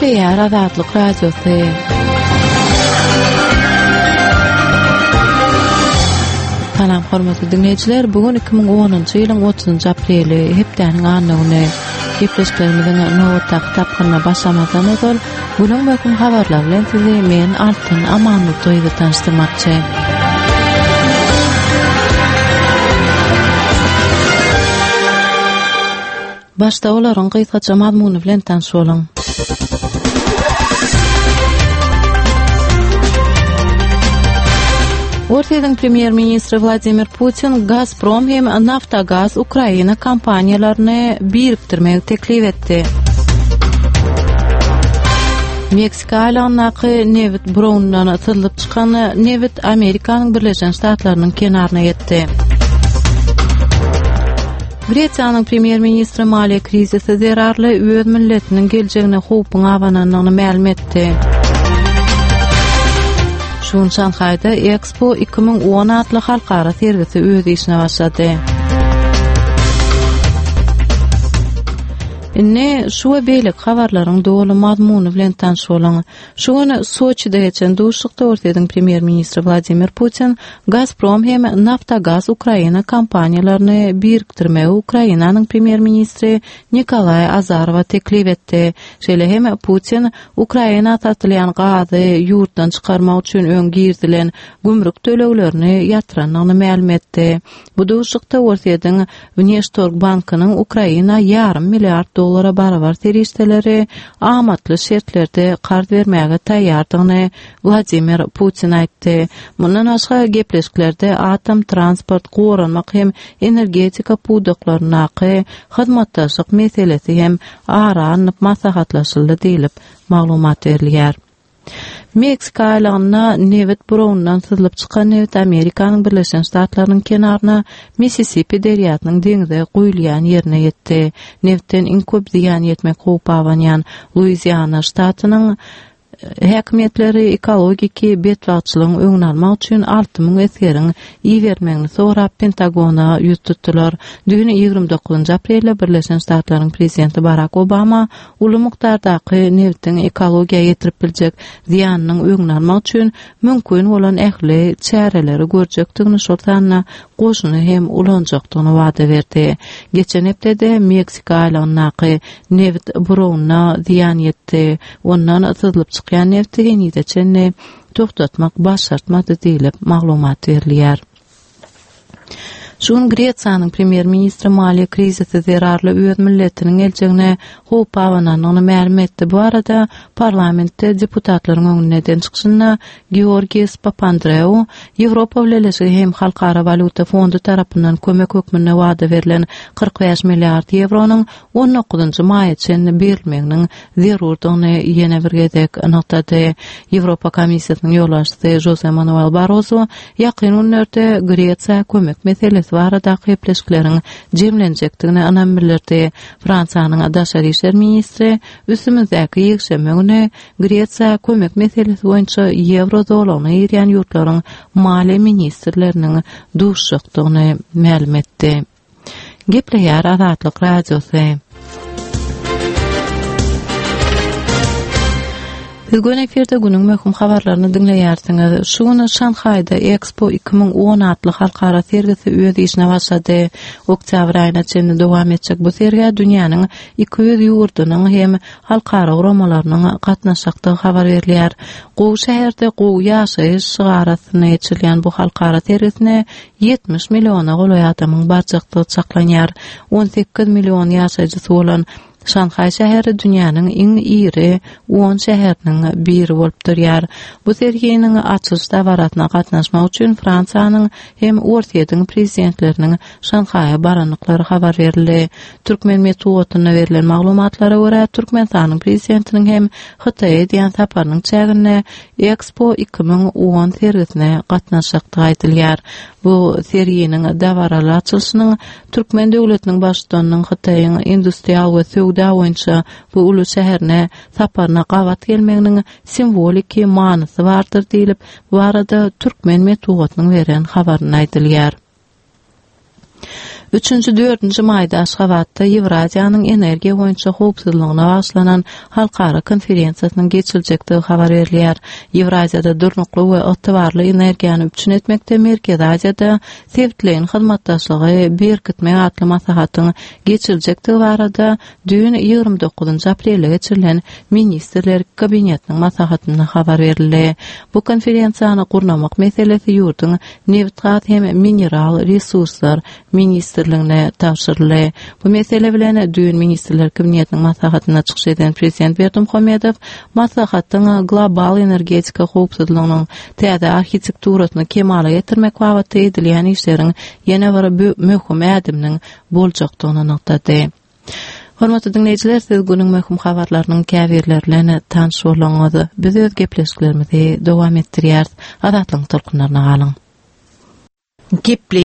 Gepleýär Azatlyk Radiosy. Salam hormatly diňleýjiler, bu gün 2010-njy ýylyň 30-njy apreli, hepdäniň anna güni. Gepleşiklerimiziň nobatdaky tapgyryna başlamazdan ozal, günüň möhüm habarlary bilen sizi men Altyn Amanmurdyýewa tanyşdyrmakçy. Başda olaryň gysgaça mazmuny bilen tanyş boluň. Orsýetiň premýer-ministri Wladimir Putin Gazprom hem Naftogaz Ukraina kompaniýalaryny birikdirmegi teklip etdi. Meksika aýlagyndaky nebit burawyndan syzlyp çykan nebit Amerikanyň Birleşen Ştatlarynyň kenaryna ýetdi. Gresiýanyň premýer-ministri maliýe krizisi zerarly öz milletiniň geljegine howpuň abanandygyny mälim etdi. Şu gün Şanhaýda Expo 2010 atly halkara sergisi öz işine başlady. Indi şu we beýleki habarlaryň doly mazmuny bilen tanyş boluň. Şu gün Soçide geçen duşuşykda Orsýetiň premýer-ministri Wladimir Putin Gazprom hem Naftogaz Ukraina kompaniýalaryny birikdirmegi Ukrainanyň premýer-ministri Nikolaý Azarowa teklip etdi. Şeýle hem Putin Ukraina satylýan gazy ýurtdan çykarmak üçin öň girizilen gümrük töleglerini ýatyrandygyny mälim etdi. Bu duşuşykda Orsýetiň Wneştorg bankynyň Ukraina ýarym milliard dollara barabar serişdeleri amatly şertlerde karz bermäge taýýardygyny Wladimir Putin aýtdy. Mundan başga, gepleşiklerde atom, transport, goranmak hem energetika pudaklaryndaky hyzmatdaşlyk meselesi hem ara alnyp maslahatlaşyldy diýlip, maglumat berilýär. Meksika aýlagynda nebit burawyndan syzlyp çykan nebit Amerikanyň Birleşen Ştatlarynyň kenaryna Missisipi derýasynyň deňze guýulýan ýerine ýetdi. Nebitden iň köp zyýan ýetmek howpy abanýan Luiziana ştatynyň häkimiýetleri ekologiki betbagtçylygyň öňüni almak üçin 6000 esgeriň ibermegini sorap Pentagona ýüz tutdular. Düýn 29 aprelde Birleşen Ştatlaryň prezidenti Barak Obama uly mukdardaky nebitiň ekologiýa ýetirip biljek zyýanynyň öňüni almak üçin mümkin bolan ähli çäreleri görjekdigini, şol sanda goşuny hem ulanjakdygyny wada berdi. Geçen hepdede Meksika aýlagyndaky nebit burawyna zyýan ýetdi. Ondan syzlyp çykýan nebiti henize çenli togtatmak başartmady diýlip, maglumat berilýär. Şu gün Gresiýanyň premýer-ministri maliýe krizisi zerarly öz milletiniň geljegine howp abanandygyny mälim etdi. Bu barada parlamentde deputatlaryň öňünde eden çykyşynda Georgis Papandreou Ýewropa Bileleşigi hem Halkara walýuta fondy tarapyndan kömek hökmünde wada berlen 45 milliard ýewronyň on dokuzynjy maýa çenli berilmeginiň zerurdygyny ýene bir gezek nygtady. Ýewropa Komissiýasynyň ýolbaşçysy Žoze Manuel Barroso ýakyn günlerde Gresiýa kömek meselesi baradaky gepleşikleriň jemlenjekdigine ynam bildirdi. Fransiýanyň daşary işler ministri üstümizdäki ýekşenbe güni Gresiýa kömek meselesi boýunça ýewro zolagyna girýän ýurtlaryň maliýe ministrleriniň duşuşjakdygyny mälim etdi. Gepleýär Azatlyk Radiosy. Siz göni efirde günüň möhüm habarlaryny diňleýärsiňiz. Şu gün Şanhaýda Expo 2010 atly halkara sergisi öz işine başlady. Oktýabr aýyna çenli dowam etjek bu sergä dünýäniň 200 ýurdunyň hem halkara guramalarynyň gatnaşjakdygy habar berilýär. Gowy şäherde gowy ýaşaýyş şygary astynda geçirilýän bu halkara sergisine 70 milliona golaý adamyň barjakdygy çaklanýar. 18 million ýaşaýjysy bolan Şanhaý şäheri dünýäniň iň iri on şäheriniň biri bolup durýar. Bu serginiň açylyş dabarasyna gatnaşmak üçin Fransiýanyň hem Orsýetiň prezidentleriniň Şanhaýa barandyklary habar berildi. Türkmen metbugatynda berlen maglumatlara görä, Türkmenistanyň prezidentiniň hem Hytaýa edýän saparynyň çäginde Expo 2010 sergisine gatnaşjakdygy aýdylýar. Bu serginiň dabaraly açylyşynyň türkmen döwletiniň Baştutanynyň Hytaýyň industrial we söwda boýunça bu uly şäherine saparyna gabat gelmeginiň simwoliki manysy bardyr diýlip, bu barada türkmen metbugatynyň beren habarynda aýdylýar. Üçünji, dördünji maýda Aşgabatda Ýewraziýanyň energiýa boýunça howpsuzlygyna bagyşlanan halkara konferensiýasynyň geçiriljekdigi habar berilýär. Ýewraziýada durnukly we ygtybarly energiýany üpjün etmekde Merkezi Aziýada sebitleýin hyzmatdaşlygy berkitmek atly maslahatyň geçiriljekdigi barada düýn, 29 aprelde geçirilen Ministrler Kabinetiniň maslahatynda habar berildi. Bu konferensiýany gurnamak meselesi ýurduň Nebitgaz hem mineral resurslar ministrligine tabşyryldy. Bu mesele bilen düýn Ministrler Kabinetiniň maslahatynda çykyş eden Prezident Berdimuhamedow maslahatyň global energetika howpsuzlygynyň täze arhitekturasyny kemala getirmek babatda edilýän işleriň ýene bir möhüm ädiminiň boljakdygyny nygtady. Hormatly diňleýjiler, siz günüň möhüm habarlarynyň käbirleri bilen tanyş bolduňyz. Biz öz gepleşiklerimizi dowam etdirýäris. Azatlygyň tolkunlaryna galyň. Geple.